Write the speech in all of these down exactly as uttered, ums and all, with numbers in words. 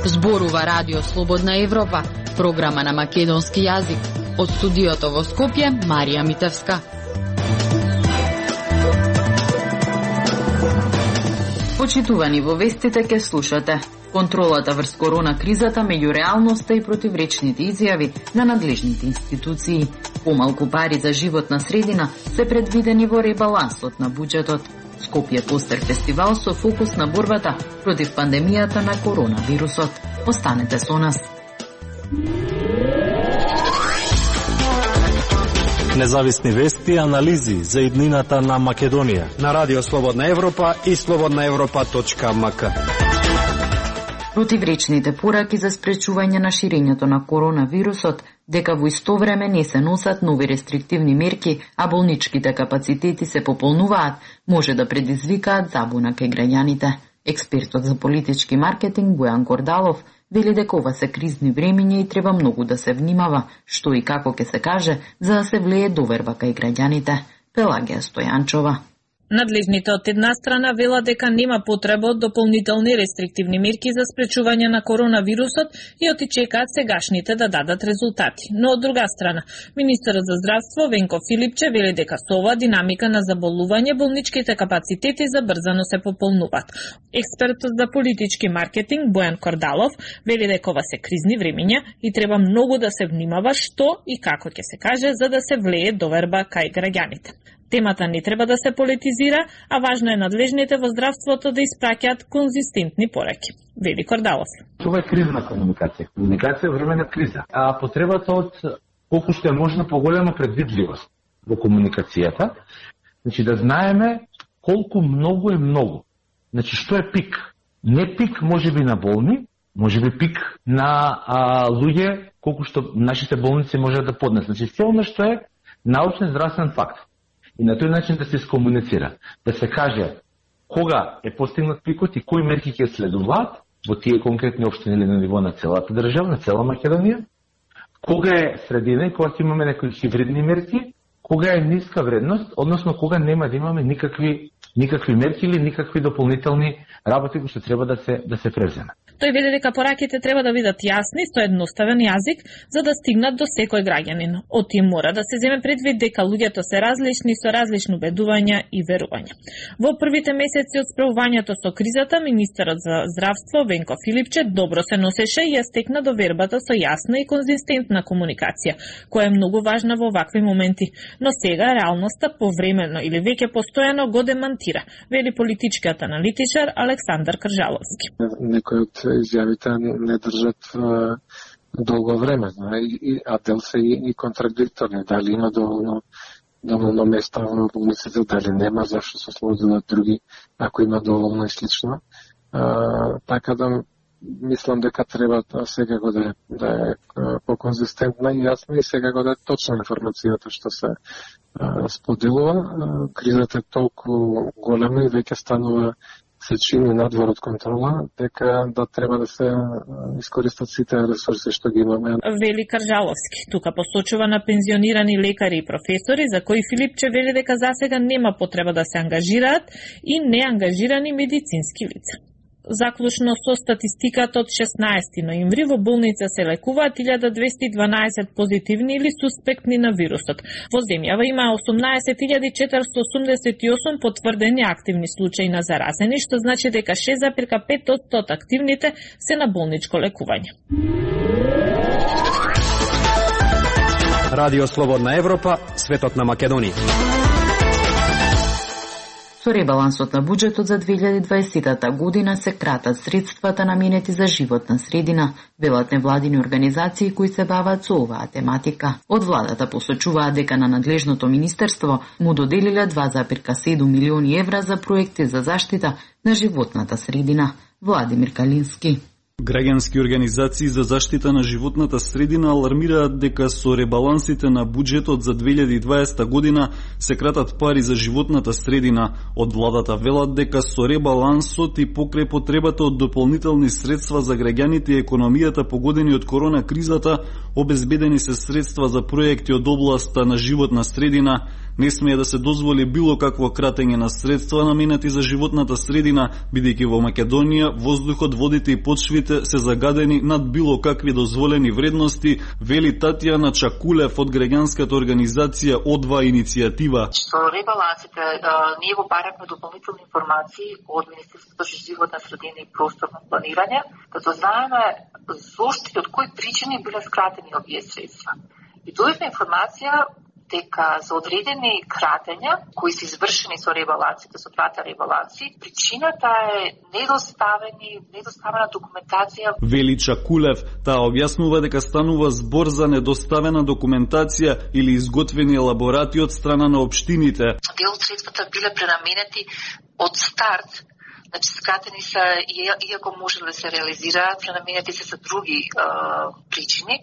Зборува Радио Слободна Европа, програма на македонски јазик. Од студиото во Скопје, Марија Митевска. Почитувани, во вестите ке слушате: контролата врз корона кризата меѓу реалноста и противречните изјави на надлежните институции. Помалку пари за животна средина се предвидени во ребалансот на буџетот. Скопје Постер фестивал со фокус на борбата против пандемијата на коронавирусот. Останете со нас. Независни вести и анализи за иднината на Македонија на Радио Слободна Европа и слободна европа точка ем ка. Противречните пораки за спречување на ширењето на коронавирусот, дека во исто време не се носат нови рестриктивни мерки, а болничките капацитети се пополнуваат, може да предизвикаат забуна кај граѓаните. Експертот за политички маркетинг Бојан Кордалов вели дека ова се кризни времиња и треба многу да се внимава што и како ќе се каже за да се влее доверба кај граѓаните. Пелагија Стојанчова. Надлежните од една страна велат дека нема потреба од дополнителни рестриктивни мерки за спречување на коронавирусот и оти чекаат сегашните да дадат резултати. Но од друга страна, министерот за здравство Венко Филипче вели дека со оваа динамика на заболување болничките капацитети забрзано се пополнуваат. Експертот за политички маркетинг Бојан Кордалов вели дека ова се кризни времиња и треба многу да се внимава што и како ќе се каже за да се влее доверба кај граѓаните. Темата не треба да се политизира, а важно е надлежните во здравството да испраќаат конзистентни пораки. Вели Кордалов. Ова е кризна комуникација. Комуникација е време на криза. А потребата од колку што е можно поголема предвидливост во комуникацијата, значи да знаеме колку многу е многу. Значи што е пик? Не пик можеби на болни, можеби пик на а, луѓе колку што нашите болници можат да поднесат. Значи се оно што е научен здравствен факт. И на тој начин да се скомуницира, да се каже кога е постигнат пикот и кои мерки ќе следуваат во тие конкретни општини или на ниво на целата држава, на цела Македонија, кога е средина и кога ќе имаме некои хибридни мерки, кога е ниска вредност, односно кога нема да имаме никакви никакви мерки или никакви дополнителни работи кои што треба да се да се преземат. Тој вели дека пораките треба да бидат јасни, со едноставен јазик, за да стигнат до секој граѓанин. Од тим мора да се земе предвид дека луѓето се различни со различни убедувања и верувања. Во првите месеци од справувањето со кризата, министерот за здравство Венко Филипче добро се носеше и ја стекна довербата со јасна и конзистентна комуникација, која е многу важна во вакви моменти. Но сега реалноста повремено или веќе постојано го демантира, вели политичкиот аналитичар Александар Кржаловски. Некој од изјавите не држат а, долго време, и, а дел се и, и контрадикторни. Дали има доволно, доволно места во болниците, дали нема, зашто се служат други, ако има доволно и слично. А, така да мислам дека треба секако да е, да е поконзистентна и јасна и секако да е точна информацијата што се а, споделува. А, кризата е толку голема и веќе станува се чини надвор од контрола, дека да треба да се искористат сите ресурси што ги имаме. Вели Кржаловски. Тука посочува на пензионирани лекари и професори, за кои Филипче вели дека засега нема потреба да се ангажираат и неангажирани медицински лица. Заклучно со статистиката од шеснаесети ноември во болница се лекуваат илјада двесте и дванаесет позитивни или суспектни на вирусот. Во земјава има осумнаесет илјади четиристотини осумдесет и осум потврдени активни случаи на заразени, што значи дека шест зарез и пет одсто од активните се на болничко лекување. Радио Слободна Европа, светот на Македонија. Со ребалансот на буџетот за две илјади и дваесета година се кратат средствата наменети за животна средина, велат невладини организации кои се бават со оваа тематика. Од владата посочуваат дека на надлежното министерство му доделиле два зарез и седум милиони евра за проекти за заштита на животната средина. Владимир Калински. Граѓански организации за заштита на животната средина алармираат дека со ребалансите на буџетот за две илјади и дваесета година се кратат пари за животната средина. Од владата велат дека со ребалансот и покрај потребата од дополнителни средства за граѓаните и економијата погодени од корона кризата, обезбедени се средства за проекти од областа на животна средина, Не смее да се дозволи било какво кратење на средства наменети за животната средина, бидејќи во Македонија воздухот, водите и почвите се загадени над било какви дозволени вредности, вели Татјана Чакулев од граѓанската организација О два иницијатива. Со ребалансите ние го бараме дополнителни информации од Министерството за животна средина и просторно планирање, като знаеме зошто и од кои причини биле скратени овие средства. И дојдовме информација дека за одредени кратења кои се извршени со ребалансите, со двата ребаланси, причината е недоставени, недоставена документација. Вели Чакулев, таа објаснува дека станува збор за недоставена документација или изготвени елаборати од страна на општините. Дел од средствата биле пренаменети од старт. Значи, скратени са, иако може да се реализираат, пренаменети се за други е, причини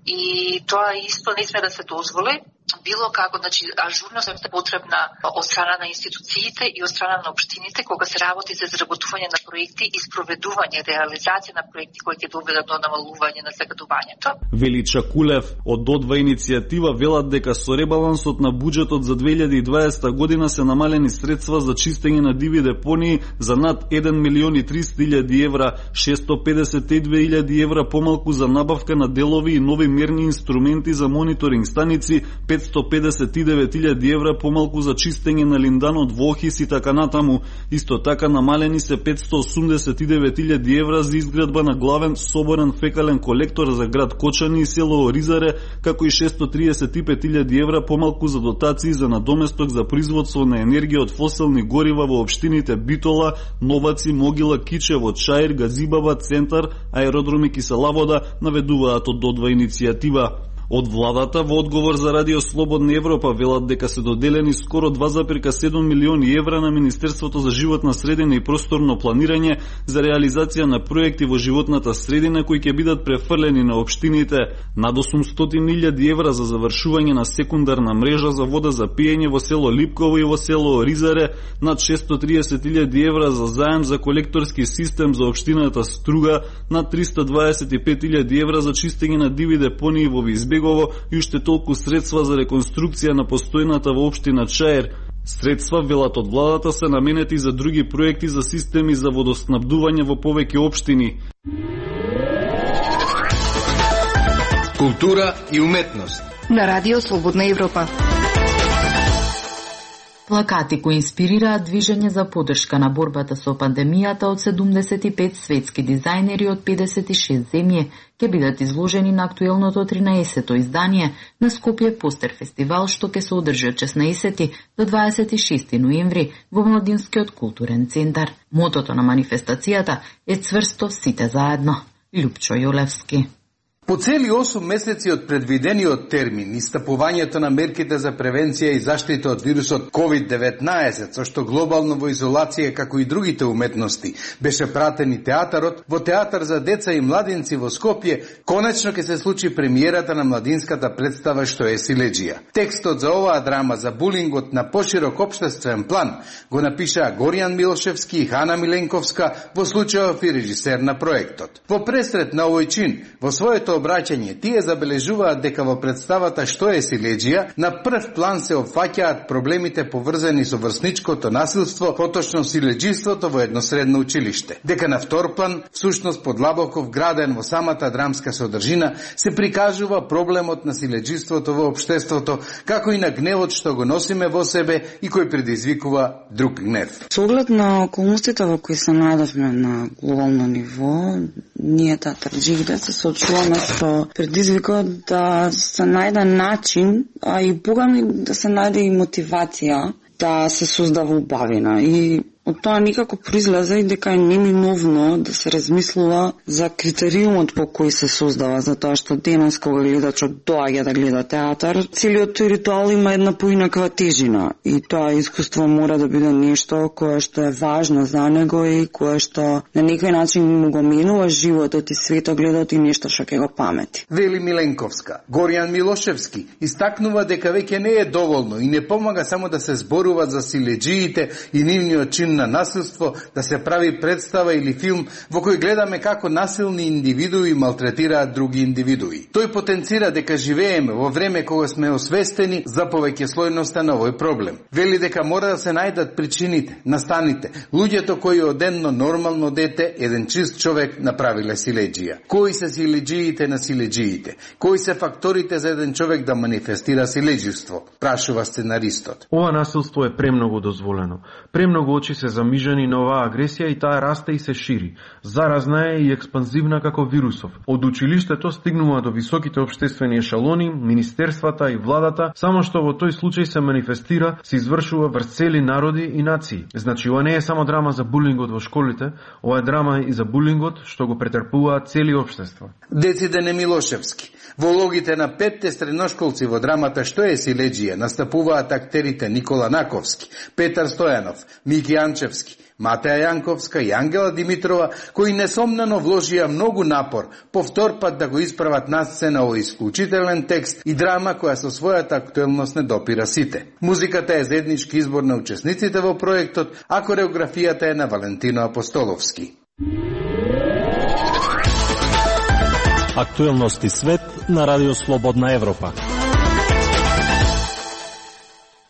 и тоа исто не сме да се дозволи. Било како, значи, ажурност е потребна од страна на институциите и од страна на општините кога се работи за изработување на проекти и спроведување, реализација на проекти кои ќе доведат до намалување на загадувањето. Вели Чакулев, од О два иницијатива велат дека со ребалансот на буџетот за две илјади и дваесета година се намалени средства за чистење на диви депонии за над еден милион и триста илјади евра, шесто педесет и две илјади евра помалку за набавка на делови и нови мерни инструменти за мониторинг станици, петсто педесет и девет илјади евра помалку за чистење на линданот во Охис и така натаму. Исто така намалени се петсто осумдесет и девет илјади евра за изградба на главен соборен фекален колектор за град Кочани и село Оризаре, како и шесто триесет и пет илјади евра помалку за дотации за надоместок за производство на енергија од фосилни горива во општините Битола, Новаци, Могила, Кичево, Чаир, Газибаба, Центар, аеродроми Киселавода, наведуваат од О два иницијатива. Од владата во одговор за Радио Слободна Европа велат дека се доделени скоро два зарез и седум милиони евра на Министерството за животна средина и просторно планирање за реализација на проекти во животната средина кои ќе бидат префрлени на општините, над осумстотини илјади евра за завршување на секундарна мрежа за вода за пиење во село Липково и во село Оризаре, над шесто триесет илјади евра за заем за колекторски систем за општината Струга, над триста дваесет и пет илјади евра за чистење на диви депонии во Визбегово и уште толку средства за реконструкција на постојната во општина Чаир. Средства, велат од владата, се наменети за други проекти за системи за водоснабдување во повеќе општини. Култура и уметност на Радио Слободна Европа. Плакати кои инспирираат движење за поддршка на борбата со пандемијата од седумдесет и пет светски дизајнери од педесет и шест земји ќе бидат изложени на актуелното тринаесето издание на Скопје Постер фестивал, што ќе се одржи од шеснаесети до дваесет и шести ноември во Младинскиот културен центар. Мотото на манифестацијата е цврсто сите заедно. Лјупчо Јолевски. По цели осум месеци од предвидениот термин, истапувањето на мерките за превенција и заштита од вирусот ковид деветнаесет, со што глобално во изолација како и другите уметности беше пратен и театарот, во Театар за деца и младинци во Скопје конечно ќе се случи премиерата на младинската представа што е Силеџија. Текстот за оваа драма за булингот на поширок општествен план го напишаа Горијан Милошевски и Хана Миленковска, во случајов и режисер на проектот. Во пресрет на овој чин, во своето обраќање, тие забележуваат дека во представата Што е Силеџија на прв план се опфаќаат проблемите поврзани со врсничкото насилство, поточно силеџиството во едно средно училиште. Дека на втор план, всушност подлабоко вграден во самата драмска содржина, се прикажува проблемот на силеџиството во општеството, како и на гневот што го носиме во себе и кој предизвикува друг гнев. Со оглед на околностите во кои се најдовме на глобално ниво, ние театарџиите се соочуваме со предизвикот да се најде начин, а и богами да се најде и мотивација да се создава убавина. И од тоа никако произлезе и дека е неминовно да се размислува за критериумот по кој се создава, затоа што денес кога гледачот доаѓа да гледа театар, целиот тој ритуал има една поинаква тежина и тоа искуство мора да биде нешто кое што е важно за него и кое што на некој начин му го менува животот и светогледот и нешто што ќе го памети. Вели Миленковска. Горијан Милошевски истакнува дека веќе не е доволно и не помага само да се зборува за силеџиите и нивниот чин начин на насилство да се прави представа или филм во кој гледаме како насилни индивидуи малтретираат други индивидуи. Тој потенцира дека живееме во време кога сме освестени за повеќеслојноста на овој проблем. Вели дека мора да се најдат причините, настаните, луѓето кои оденно нормално дете, еден чист човек направиле силеџија. Кои се силеџиите на силеџиите? Кои се факторите за еден човек да манифестира силеџивство? Прашува сценаристот. Ова насилство е премногу дозволено. Премногу очи се замижени на оваа агресија и таа расте и се шири. Заразна е и експанзивна како вирусов. Од училиштето стигнува до високите општествени ешалони, министерствата и владата, само што во тој случај се манифестира, се извршува врз цели народи и нации. Значи, ова не е само драма за булингот во школите, ова е драма и за булингот што го претрпуваат цели општества. Децидене Милошевски. Во улогите на петте средношколци во драмата Што е силеџија настапуваат актерите Никола Наковски, Петар Стојанов, Мики Анчевски, Матеја Јанковска и Ангела Димитрова, кои несомнено вложија многу напор повтор пат да го исправат на сцена овој исклучителен текст и драма која со својата актуелност не допира сите. Музиката е заеднички избор на учесниците во проектот, а кореографијата е на Валентино Апостоловски. Актуелности свет на Радио Слободна Европа.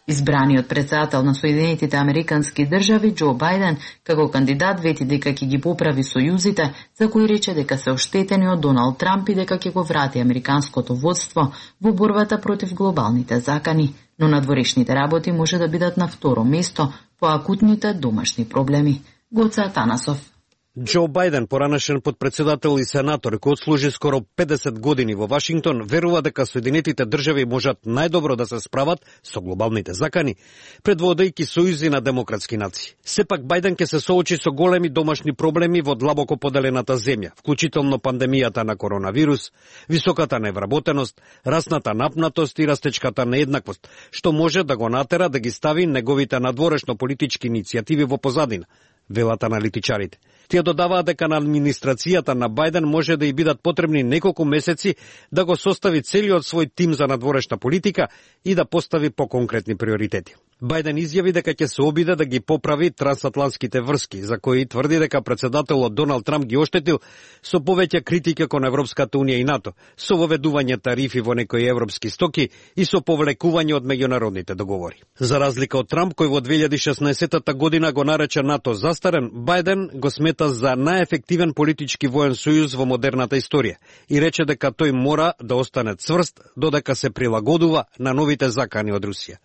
Избраниот председател на Соединетите Американски држави Џо Бајден како кандидат вети дека ќе ги поправи сојузите, за кои рече дека се оштетени од Доналд Трамп и дека ќе го врати американското водство во борбата против глобалните закани, но надворешните работи може да бидат на второ место по акутните домашни проблеми. Гоце Атанасов. Џо Бајден, поранешен подпредседател и сенатор, кој отслужи скоро педесет години во Вашингтон, верува дека Соединетите држави можат најдобро да се справат со глобалните закани, предводејќи сојузи на демократски нации. Сепак Бајден ќе се соочи со големи домашни проблеми во длабоко поделената земја, вклучително пандемијата на коронавирус, високата невработеност, расната напнатост и растечката нееднаквост, што може да го натера да ги стави неговите надворешно политички иницијативи во позадина, велат аналитичарите. Тие додаваат дека на администрацијата на Бајден може да и бидат потребни неколку месеци да го состави целиот свој тим за надворешна политика и да постави поконкретни приоритети. Бајден изјави дека ќе се обиде да ги поправи трансатлантските врски, за кои тврди дека председателот Доналд Трамп ги оштетил со повеќе критика кон Европската унија и НАТО, со воведување тарифи во некои европски стоки и со повлекување од меѓународните договори. За разлика од Трамп, кој во две илјади и шеснаесетта година го нарече НАТО застарен, Бајден го смета за најефективен политички воен сојуз во модерната историја и рече дека тој мора да остане цврст додека се прилагодува на новите закани од Русија.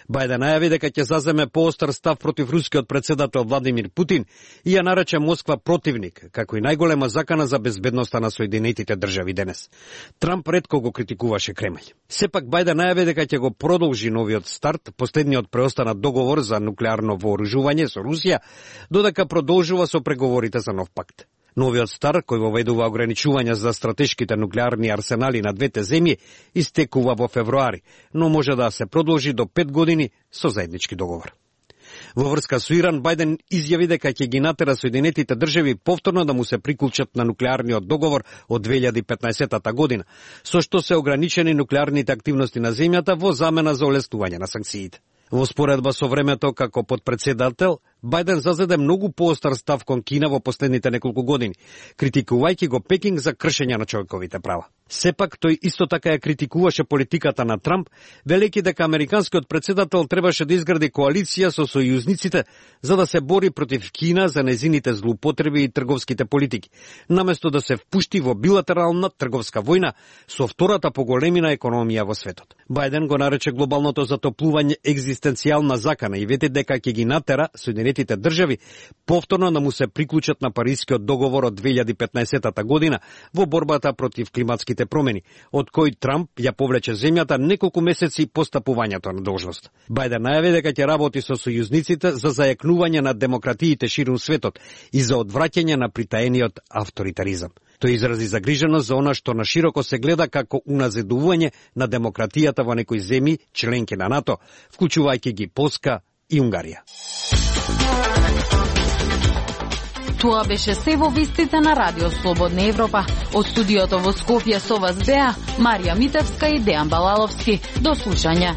Бајден најави дека ќе заземе поостар став против рускиот председател Владимир Путин и ја нарече Москва противник, како и најголема закана за безбедноста на Соединетите држави денес. Трамп ретко го критикуваше Кремљ. Сепак Бајден најави дека ќе го продолжи новиот старт, последниот преостанат договор за нуклеарно вооружување со Русија, додека продолжува со преговорите за нов пакт. Новиот стар, кој воведува ограничувања за стратешките нуклеарни арсенали на двете земји, истекува во февруари, но може да се продолжи до пет години со заеднички договор. Во врска со Иран, Бајден изјави дека ќе ги натера Соединетите држави повторно да му се приклучат на нуклеарниот договор од две илјади и петнаесетта година, со што се ограничени нуклеарните активности на земјата во замена за олеснување на санкциите. Во споредба со времето како подпредседател, Бајден зазеде многу поостар став кон Кина во последните неколку години, критикувајќи го Пекинг за кршење на човековите права. Сепак, тој исто така ја критикуваше политиката на Трамп, велејќи дека американскиот председател требаше да изгради коалиција со сојузниците за да се бори против Кина за незините злоупотреби и трговските политики, наместо да се впушти во билатерална трговска војна со втората по големина економија во светот. Бајден го нарече глобалното затоплување екзистенцијална закана и вети дека ќе ги натера Соединетите држави повторно да му се приклучат на Парискиот договор од две илјади и петнаесетта година во борбата против климатските промени, од кој Трамп ја повлече земјата неколку месеци по стапувањето на должност. Бајден најави дека ќе работи со сојузниците за зајакнување на демократиите ширум светот и за одвраќање на притаениот авторитаризам. Тој изрази загриженост за она што на широко се гледа како уназидување на демократијата во некои земји членки на НАТО, вклучувајќи ги Полска и Унгарија. Тоа беше се во вестите на Радио Слободна Европа. Од студиото во Скопје со вас беа Марија Митевска и Дејан Балаловски. До слушање.